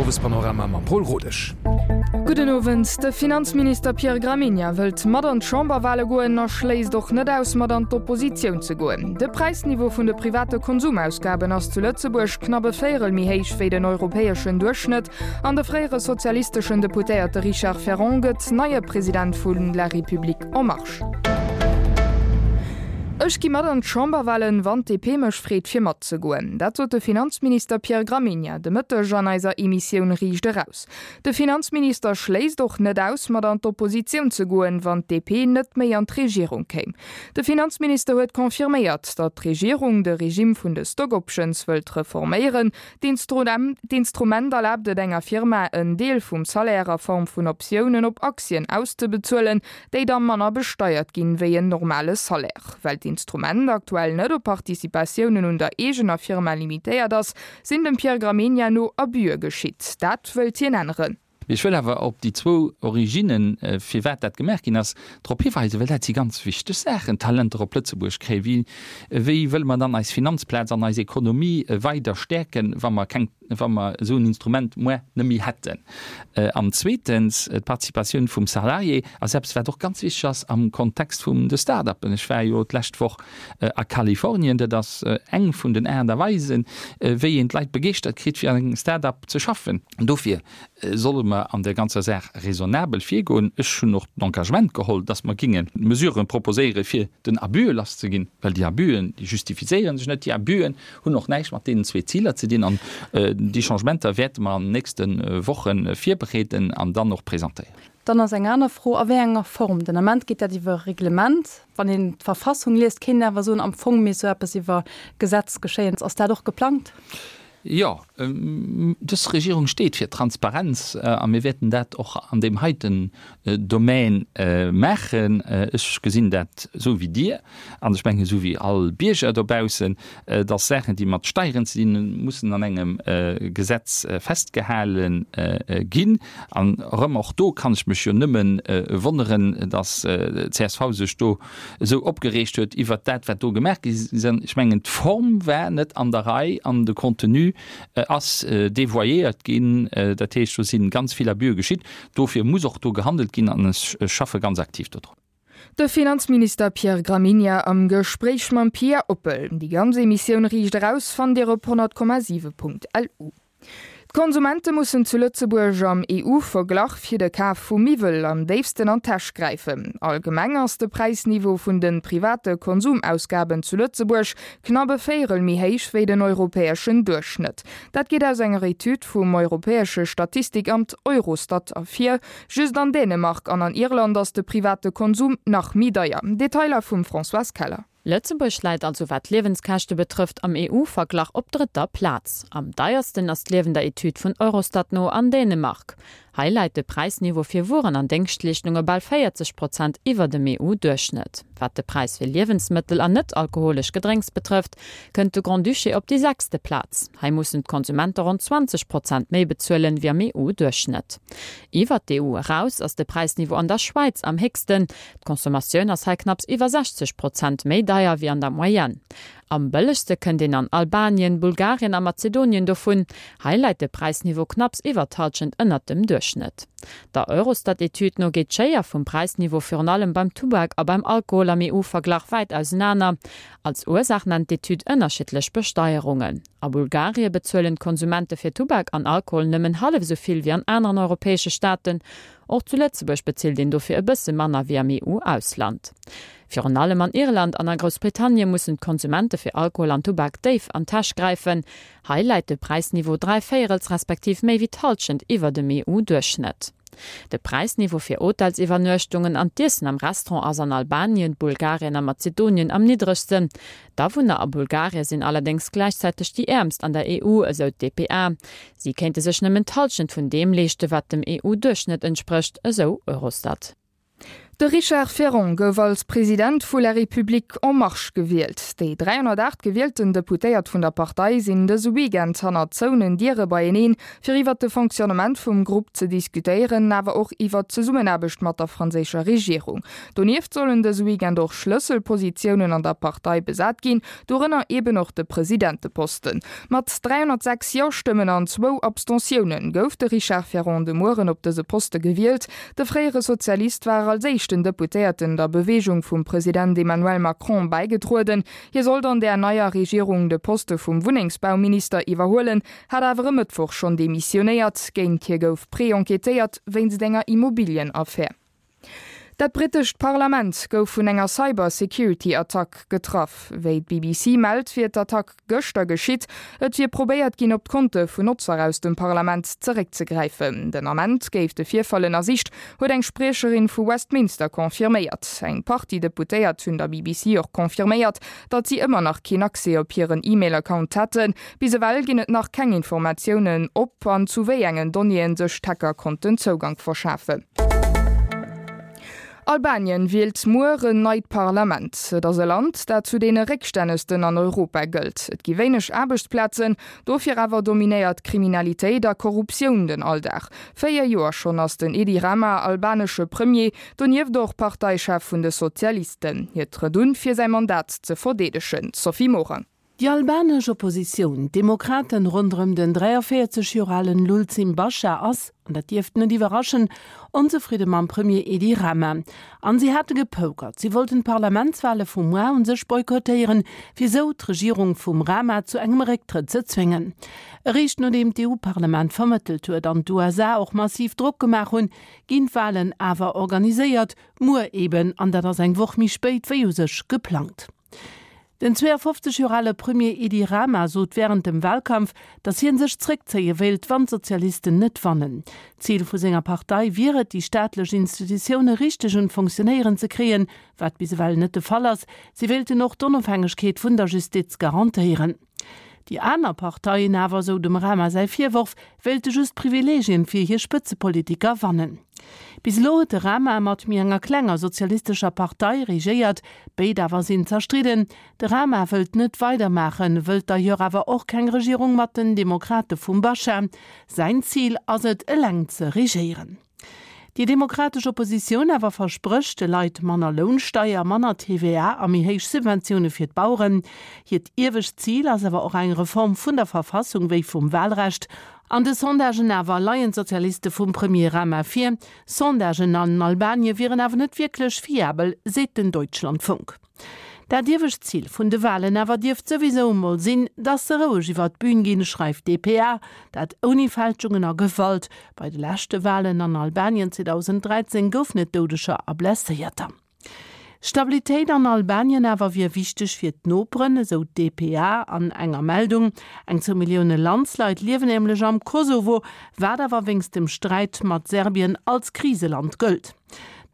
Owespanorama mam Paul Rodesch. Gudden Owend. De Finanzminister Pierre Gramegna wëllt mat an d'Chamberwale goen a schléisst och net aus, mat an d'Oppositioun ze goen. De Präisniveau vun de private Konsumausgaben ass zu Lëtzebuerg knapp e Véierel méi héich wéi den europäeschen Duerchschnëtt. An de fréiere sozialisteschen Deputéierte Richard Ferrand gëtt neie President vu La République en Marche. Ech gi mat an d'Chamberwalen, wann d'DP mech freet fir matzegoen. Dat sot de Finanzminister Pierre Gramegna de Mëtteg an eiser Emissioun Riicht Eraus. De Finanzminister schléisst och net aus, mat an d'Oppositioun ze goen, wann d'DP net méi an d'Regierung kéim. De Finanzminister huet confirméiert, datt d'Regierung de Regime vun de Stock Options wëllt reforméieren. D'Instrument erlaabt et enger Firma, en Deel vum Salaire a Form vun Optiounen op Aktien auszebezuelen, déi da manner besteiert ginn, wéi en normale Salaire. Well d'Instrument aktuell net op Participatiounen un der eegener Firma limitéiert ass, sinn dem Pierre Gramegna no Abüe geschitt. Dat wëllt hien änneren. Mee ech wëll awer op déi zwou Originnen, firwat dat gemaach ginn ass, drop hiweisen, well dat si ganz wichteg Saachen, Talenter op Lëtzebuerg kréien. Wéi, wéi wëlle mer dann eis Finanzplaz an eis Ekonomie weider stäerken, wa mer keng, wa mer esou en Instrument muer net méi hätten? An zweetens, d'Participatioun vum Salarié ass eppes, wat och ganz wichteg ass am Kontext vum de Start-uppen. Ech war jo d'lescht Woch a Kalifornien. Dat ass eng vun den Aart a Weisen, wéi een d'Leit begeeschtert kritt, fir an engem Start-up ze schaffen. Dofir solle mer an där ganzer Saach raisonnabel virgoen. Ech hunn och d'Engagement geholl, dass mer géinge Mesuren proposéiere fir den Abüe lasszeginn, well déi Abüen, déi justifizéiere sech net. Déi Abüen hunn och näischt mat deenen zwee Ziler ze dinn. An déi Changementer wäerte mer an den nächste Woche virbereeden an dann och presentéieren. Dann ass eng aner Fro, a wéi enger Form. Den Ament geet dat iwwer e Reglement. Wann een d'Verfassung liest, kéint een awer soen, am Fong misst esou eppes iwwer Gesetz geschéien. Ass dat och geplangt? Jo, dës Regierung steet fir Transparenz a mir wäerten dat och an deem heiten Domän maachen. Ech gesinn dat esou wéi Dir an ech mengen esou wéi all Bierger dobaussen, dass Saachen, déi mat Steieren ze dinn hunn, mussen an engem Gesetz festgehale ginn. An erëm, och do kann ech mech jo nëmme wonneren, dass d'CSV sech do esou opgereegt huet iwwert dat, wat do gemaach gi sinn. Ech mengen, d'Form war net an der Rei an de Contenu ass devoyéiert ginn. Dat heescht, do si ganz vill Abüe geschitt. Dofir muss och do gehandelt ginn an ech schaffe ganz aktiv dodrun. De Finanzminister Pierre Gramegna am Gespréich mam Pia Oppel. Déi ganz Emissioun Riicht Eraus fannt Dir op 100,7.lu. D'Konsumente mussen zu Lëtzebuerg am EU-Verglach fir de Kaf vu Miwwel am déifsten an d'Täsch gräifen. Allgemeng ass de Präisniveau vun de private Konsumausgaben zu Lëtzebuerg knapp e Véierel méi héich wéi den europäeschen Duerchschnëtt. Dat geet aus enger Etüd vum europäesche Statistikamt Eurostat ervir. Just an Dänemark an an Irland ass de private Konsum nach méi deier. Detailer vum Françoise Keller. Lëtzebuerg läit also wat d'Liewenskäschte betrëfft am EU-Verglach op drëtter Plaz. Am deiersten ass d'Liewen der Etüd vun Eurostat no an Dänemark. Hei läit de Präisniveau fir Wueren an Déngschtleeschtunge bal 40 Prozent iwwer dem EU-Duerchschnëtt. Wat de Präis fir Liewensmëttel an net-alkoholesch Gedrénks betrëfft, kënnt de Grand-Duché op déi sechste Plaz. Hei mussen d'Konsumente ronn 20 Prozent méi bezuelen, wéi am EU-Duerchschnëtt. Iwwer d'EU eraus ass de Präisniveau an der Schwäiz am héchsten. D'Consommatioun ass hei knapps iwwer 60 Prozent méi deier wéi an der Moyenne. Am bëllegste kënnt een an Albanien, Bulgarien a Mazedonien dovun. Hei läit de Präisniveau knapps iwwer d'Hallschent ënnert dem Duerchschnëtt. Der Eurostat-Etüd no geet d'Schéier vum Präisniveau virun allem beim Tubak a beim Alkohol am EU-Verglach wäit ausenaner. Als Ursaach nennt d'Etüd ënnerschiddlech Besteierungen. A Bulgarie bezuelen d'Konsumente fir Tubak an Alkohol nëmmen hallef esou vill wéi an aneren europäesche Staaten. Och zu Lëtzebuerg bezilt een dofir e bësse manner wéi am EU-Ausland. Virun allem an Irland an a Groussbritannie mussen d'Konsumente fir Alkohol an Tubak déif an d'Täsch gräifen. Hei läit de Präisniveau dräivéierels respektiv méi wéi d'Hallschent iwwer dem EU-Duerchschnëtt. De Präisniveau fir Hotelsiwwernuechtungen an d'Iessen am Restaurant ass an Albanien, Bulgarien a Mazedonien am niddregsten. D'Awunner a Bulgarie sinn allerdéngs gläichzäiteg déi äermst an der EU, esou d'DPA. Si kéinte sech nëmmen d'Hallschent vun deem leeschte wat dem EU-Duerchschnëtt entsprécht, esou Eurostat. De Richard Ferrand gouf als President vu La République En Marche gewielt. Déi 308 gewielten Deputéiert vun der Partei sinn dëse Weekend hannert zouenen Diere beieneen, fir iwwert de Fonctionnement vum Grupp ze diskutéieren, awer och iwwert d'Zesummenaarbecht mat der franséischer Regierung. Donieft sollen dëse Weekend och Schlësselpositiounen an der Partei besat ginn, dorënner eben och de Presidenteposten. Mat 306 Jo-Stëmmen an zwou Abstentiounen gouf de Richard Ferrand de Mueren op dëse Poste gewielt. De fréiere Sozialist war als éischten Deputéierten der Beweegung vum President Emmanuel Macron bäigetrueden. Hie sollt an där neier Regierung de Poste vum Wunnengsbauminister iwwerhuelen, hat awer e Mëttwoch schonn demissionéiert. Géint hie gouf pré-enquêtéiert wéinst enger Immobilienaffär. Dat brittescht Parlament gouf vun enger Cyber-Security-Attack getraff. Wéi d'BBC mellt, wier d'Attack gëschter geschitt. Et wier probéiert ginn, op d'Konte vun Notzer aus dem Parlament zeréckzegräifen. Den Ament géif de Virfall ënnersicht, huet eng Spriecherin vu Westminster confirméiert. Eng Partie Deputéiert hunn der BBC och confirméiert, datt si ëmmer nach keen Accès op hiren E-Mail-Account hätten. Bis ewell ginn et nach keng Informatiounen, ob an zu wéi engen Donnéeën sech d'Hacker konnten Zougank verschafen. Albanien wielt muer en neit Parlament. Et ass e Land, dat zu deene réckstännegsten an Europa gëllt. Et gi wéineg Aarbechtsplazen, dofir awer dominéiert Kriminalitéit a Korruptioun den Alldag. 4 Joer schonn ass den Edi Rama albanesche Premier, donieft och Parteichef vun de Sozialisten. Hie trëtt un, fir säi Mandat ze verdeedegen. Sophie Morang. Déi albanesch Oppositioun, d'Demokraten ronderëm den 43 Joer alen Lulzim Basha ass, an dat dierft net iwwerraschen, onzefridde mam Premier Edi Rama. An si hate gepokert, si wollten d'Parlamentswale vu muar un sech boykottéieren, fir esou d'Regierung vum Rama zu engem Récktrëtt ze zwéngen. Eréischt nodeem d'EU-Parlament vermëttelt huet an d'USA och massiv Drock gemaach hunn, ginn d'Walen awer organiséiert, muer eben, an dat ass eng Woch méi spéit wéi u sech geplangt. Den 52 Joer ale Premier Edi Rama sot wärend dem Walkampf, datt hie sech zréckzéie wéilt, wann d'Sozialisten net wannen. D'Zil vu senger Partei wier et, déi staatlech Institutioune richteg un d'Fonctionnéieren ze kréien, wat bis ewell net de Fall ass. Si wéilten och d'Onofhängegkeet vun der Justiz garantéieren. Déi aner Parteien awer, esou dem Rama säi Virworf, wéilte just Privileegien fir hir Spëtzepolitiker wannen. Bis elo huet de Rama mat méi enger klenger sozialistescher Partei regéiert, béid awer sinn zerstridden. De Rama wëllt net weidermaachen, wëllt d'ailleurs awer och keng Regierung mat den Demokrate vum Basha. Säin Zil ass et, eleng ze regéieren. Déi demokratesch Oppositioun awer versprécht de Leit manner Lounsteier, manner TVA a méi héich Subventioune fir d'Baueren. Hiert iewescht Zil ass awer och eng Reform vun der Verfassung wéi vum Wahlrecht. An de Sondagen awer leien d'Sozialiste vum Premier Rama vir. Sondagen an Albanien wieren awer net wierklech fiabel, seet den Deutschlandfunk. Dat iewescht Zil vun de Walen awer dierft souwisou emol sinn, dass se roueg iwwer d'Bün ginn, schreift dpa. Dat ouni Fälschungen a Gewalt. Bei de leschte Walen an Albanien 2013 goufen et Doudeger a Blesséierter. Stabilitéit an Albanien awer wier wichteg fir d'Noperen, esou d'dpa an enger Meldung. Eng zwou Millioune Landsleit liewen nämlech am Kosovo, wat awer wéinst dem Sträit mat Serbien als Kriseland gëllt.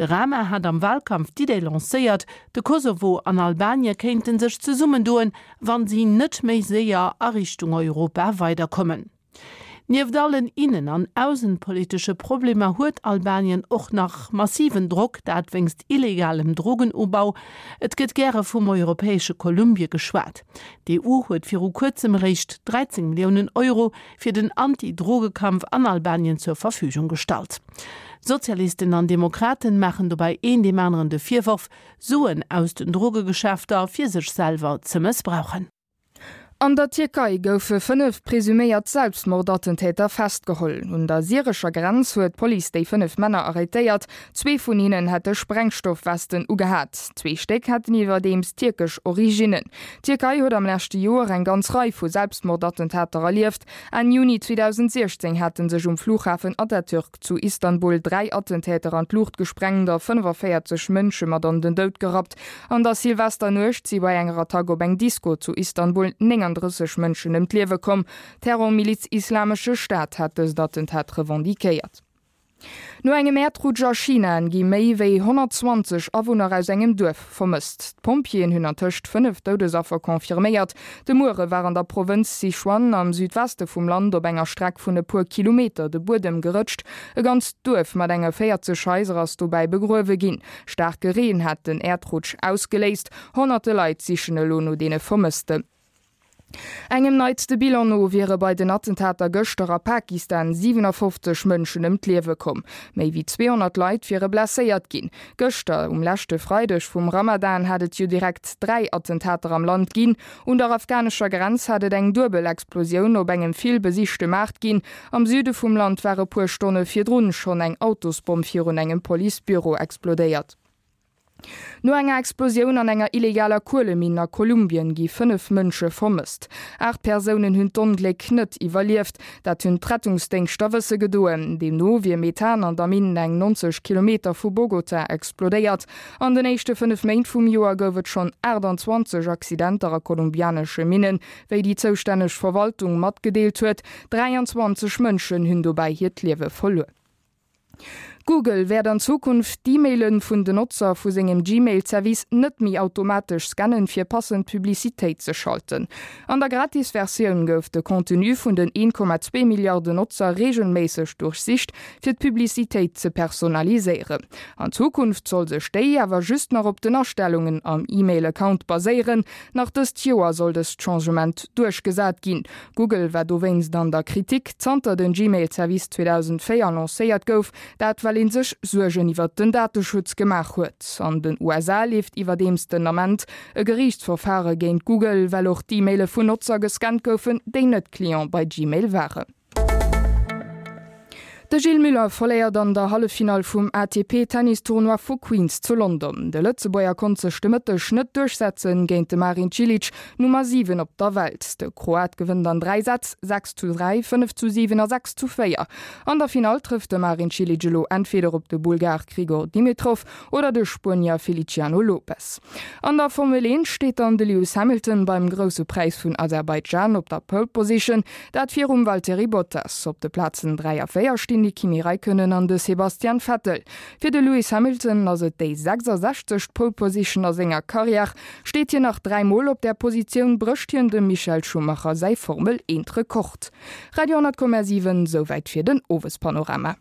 De Rama hat am Walkampf d'Idee lancéiert, de Kosovo an Albanie kéinte sech zesummendoen, wann si net méi séier a Richtung Europa weiderkommen. Nieft allen innen an ausenpolitesche Problemer huet Albanien och nach massiven Drock, dat wéinst illegalem Drogenubau. Et gëtt gäre vum europäesche Kolumbie geschwat. D'EU huet viru kuerzem eréischt 13 Milliounen Euro fir den Anti-Drogekampf an Albanien zur Verfügung gestallt. Sozialisten an Demokraten maachen dobäi een deem aneren de Virworf, Suen aus den Drogegeschäfter fir sech selwer ze mëssbrauchen. An der Tierkei goufe 5 presuméiert Selbstmordattentäter festgeholl. Un der syrescher Grenz huet d'Police déi 5 Männer arrêtéiert. Zwee vun hinnen hätte Sprengstoffwesten ugehat. Zwee Stéck hätten iwwerdeems tierkesch Originnen. D'Tierkei huet am leschte Joer eng ganz Rei vu Selbstmordattentater erlieft. Enn Juni 2016 hate sech um Flughafen Atatürk zu Istanbul 3 Attentäter an d'Luucht gesprengt a 45 Mënsche mat an den Doud gerappt. An der Silvesternuecht si bei enger Attack op eng Disko zu Istanbul 39 Mënschen ëm d'Liewe komm. D'Terrormiliz Islamesche Staat hat dëst Attentat revendiquéiert. No engem Äerdrutsch a China gi méi wéi 120 Awunner aus engem Duerf vermësst. D'Pompjeeën hunn antëscht 5 Doudesaffer confirméiert. De Muere war an der Provënz Sichuan am Südweste vum Land op enger Streck vun e puer Kilometer de Buedem gerëtscht. E ganzt Duerf mat enge 40 Haiser ass dobäi begruewe ginn. Staarke Reen hat den Äerdrutsch ausgeléist. Honnerte Leit sichen elo no deene Vermëssten. Engem neitste Bilan no wiere bei den Attentater gëschter a Pakistan 57 Mënschen ëm d'Liewe komm. Méi wéi 200 Leit wiere blesséiert ginn. Gëschter, um leschte Freideg vum Ramadan, hat et jo direkt 3 Attentater am Land ginn. Un der afghanescher Grenz hat et eng duebel Explosioun op engem vill besichte Maart ginn. Am Süde vum Land war e puer Stonne virdrun schonn eng Autosbomm virun engem Policebüro explodéiert. No enger Explosioun an enger illegaler Kueleminn a Kolumbien gi 5 Mënsche vermësst. 8 Persounen hunn d'Ongléck net iwwerlieft. Dat hunn d'Rettungsdéngschter wësse gedoen. Deemno wier Methan an der Minn eng 90 Kilometer vu Bogota explodéiert. An den éischte 5 Méint vum Joer gouf et schonn 28 Accidenter a kolumbianesche Minnen, wéi déi zoustänneg Verwaltung matgedeelt huet. 23 Mënschen hunn dobäi hiert Liewe verluer. Google wäert an Zukunft d'E-Maile vun den Notzer vu sengem Gmail-Service net méi automatesch scannen, fir passend Publicitéit ze schalten. An der Gratis-Versioun gouf de Contenu vun den 1,2 Milliarden Notzer reegelméisseg duerchsicht, fir d'Publicitéit ze personaliséieren. An Zukunft soll sech déi awer just nach op den Astellungen am E-Mail-Account baséieren. Nach dëst Joer soll dëst Changement duerchgesat ginn. Google war dowéinst an der Kritik, zanter den Gmail-Service 2004 lancéiert gouf. Dat well ee sech Suergen iwwert den Dateschutz gemaach huet. An den USA leeft iwwerdeems den Ament e Geriichtsverfare géint Google, well och d'E-Maile vun Notzer gescannt goufen, déi net Client bei Gmail waren. De Gilles Muller verléiert an der Halleffinall vum ATP-Tennis-Tournoi vu Queens zu London. De Lëtzebuerger konnt sech de Mëtteg net duerchsetzen géint de Marin Cilic, Nummer 7 op der Welt. De Kroat gewënnt an 3 Sätz, 6 zu 3, 5 zu 7 a 6 zu 4. An der Finall trëfft de Marin Cilic elo entweder op de Bulgar Grigor Dimitrov oder de Spuenier Feliciano Lopez. An der Formel 1 steet dann de Lewis Hamilton beim Grousse Präis vun Aserbaidschan op der Pole Position. Dat virum Valtteri Bottas. Op de Plazen 3 a 4 stinn de Kimi Räikkönen an de Sebastian Vettel. Fir de Lewis Hamilton ass et déi 66. Pole Position a senger Karriär. Steet hien nach 3 Mol op där Positioun, brécht hien dem Michael Schumacher säi Formel 1 Rekord. Radio 10,7, Souwäit fir den Owespanorama.